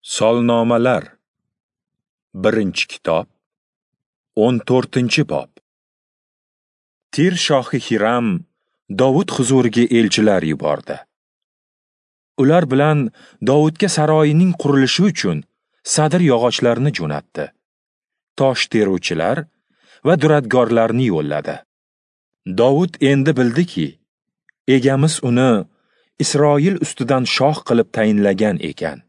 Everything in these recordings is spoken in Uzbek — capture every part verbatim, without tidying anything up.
Solnomalar, birinchi kitob, o'n to'rtinchi bob. Tir shohi Hiram Dovud huzuriga elchilar yubordi. Ular bilan Dovudga saroyining qurilishi uchun sadir yog'ochlarini jo'natdi. Tosh teruvchilar va duradgorlarni yo'lladi. Dovud endi bildiki, egamiz uni Isroil ustidan shoh qilib tayinlagan ekan.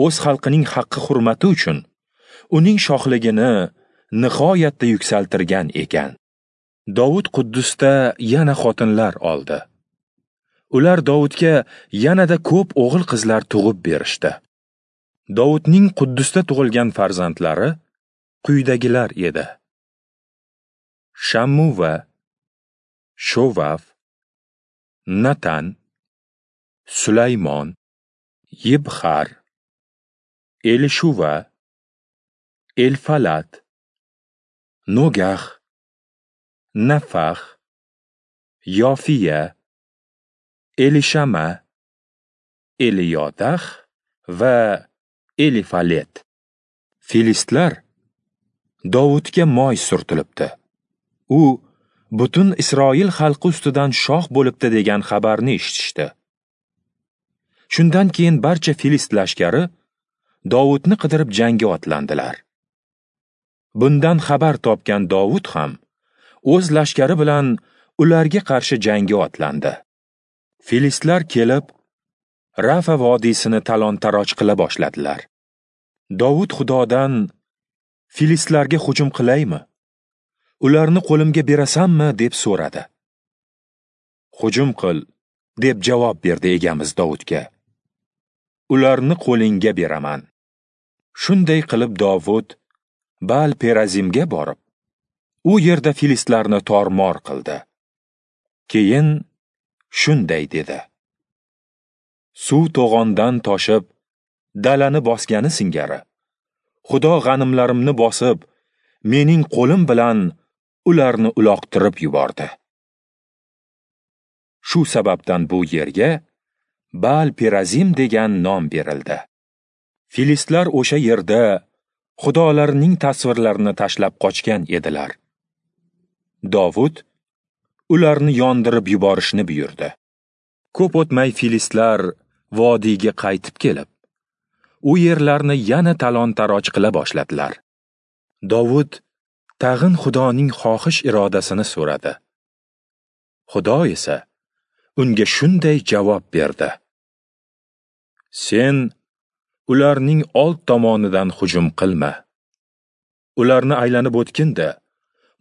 O'z xalqining haqqi hurmati uchun uning shohligini nihoyatda yuksaltirgan ekan. Dovud Quddusda yana xotinlar oldi. Ular Dovudga yanada ko'p o'g'il qizlar tug'ib berishdi. Dovudning Quddusda tug'ilgan farzandlari quyidagilar edi: Shammuva, Shovaf, Natan, Sulaymon, Yibxar, Elishuva, Elfalat, Nogax, Nafax, Yofiya, Elishama, Eliyodax va Elifalet. Filistlar Dovudga moy surtilibdi. U butun Isroil xalqi ustidan shoh bo'libdi degan xabarni eshitishdi. Shundan keyin barcha filist lashkari Dovudni qidirib jangga otlandilar. Bundan xabar topgan Dovud ham o'z lashkari bilan ularga qarshi jangga otlandi. Filistlar kelib, Rafa vodiysini talon-taroj qila boshladilar. Dovud Xudodan: "Filistlarga hujum qilaymi? Ularni qo'limga berasanmi?" deb so'radi. "Hujum qil", deb javob berdi egamiz Dovudga. "Ularni qo'lingga beraman." Shunday qilib Dovud Baal Perazimga borib, u yerda filistlarni tormor qildi. Keyin shunday dedi: Suv to'g'ondan toshib, dalani bosgani singari, Xudo g'animlarimni bosib, mening qo'lim bilan ularni uloqtirib yubordi. Shu sababdan bu yerga Baal Perazim degan nom berildi. Filistlar o'sha yerda xudolarining tasvirlarini tashlab qochgan edilar. Dovud ularni yondirib yuborishni buyurdi. Ko'p o'tmay filistlar vodiyga qaytib kelib, u yerlarni yana talon-taroj qila boshladilar. Dovud tag'in Xudoning xohish irodasini so'radi. Xudo esa unga shunday javob berdi: Sen ularning old tomonidan hujum qilma. Ularni aylanib o'tkinda,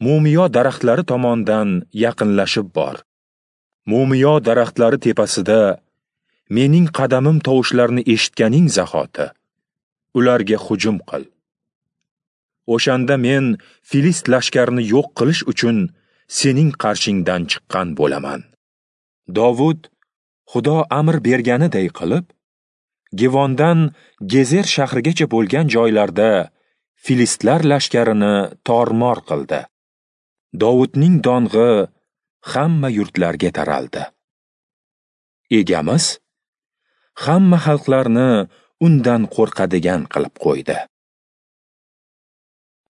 mumiyo daraxtlari tomondan yaqinlashib bor. Mumiyo daraxtlari tepasida mening qadamim tovushlarini eshitganing zahoti ularga hujum qil. O'shanda men filist lashkarini yo'q qilish uchun sening qarshingdan chiqqan bo'laman. Dovud Xudo amr berganiday qilib, Givondan Gezer shahrigacha bo'lgan joylarda filistlar lashkarini tormor qildi. Dovudning dong'i hamma yurtlarga taraldi. Egamiz hamma xalqlarni undan qo'rqadigan qilib qo'ydi.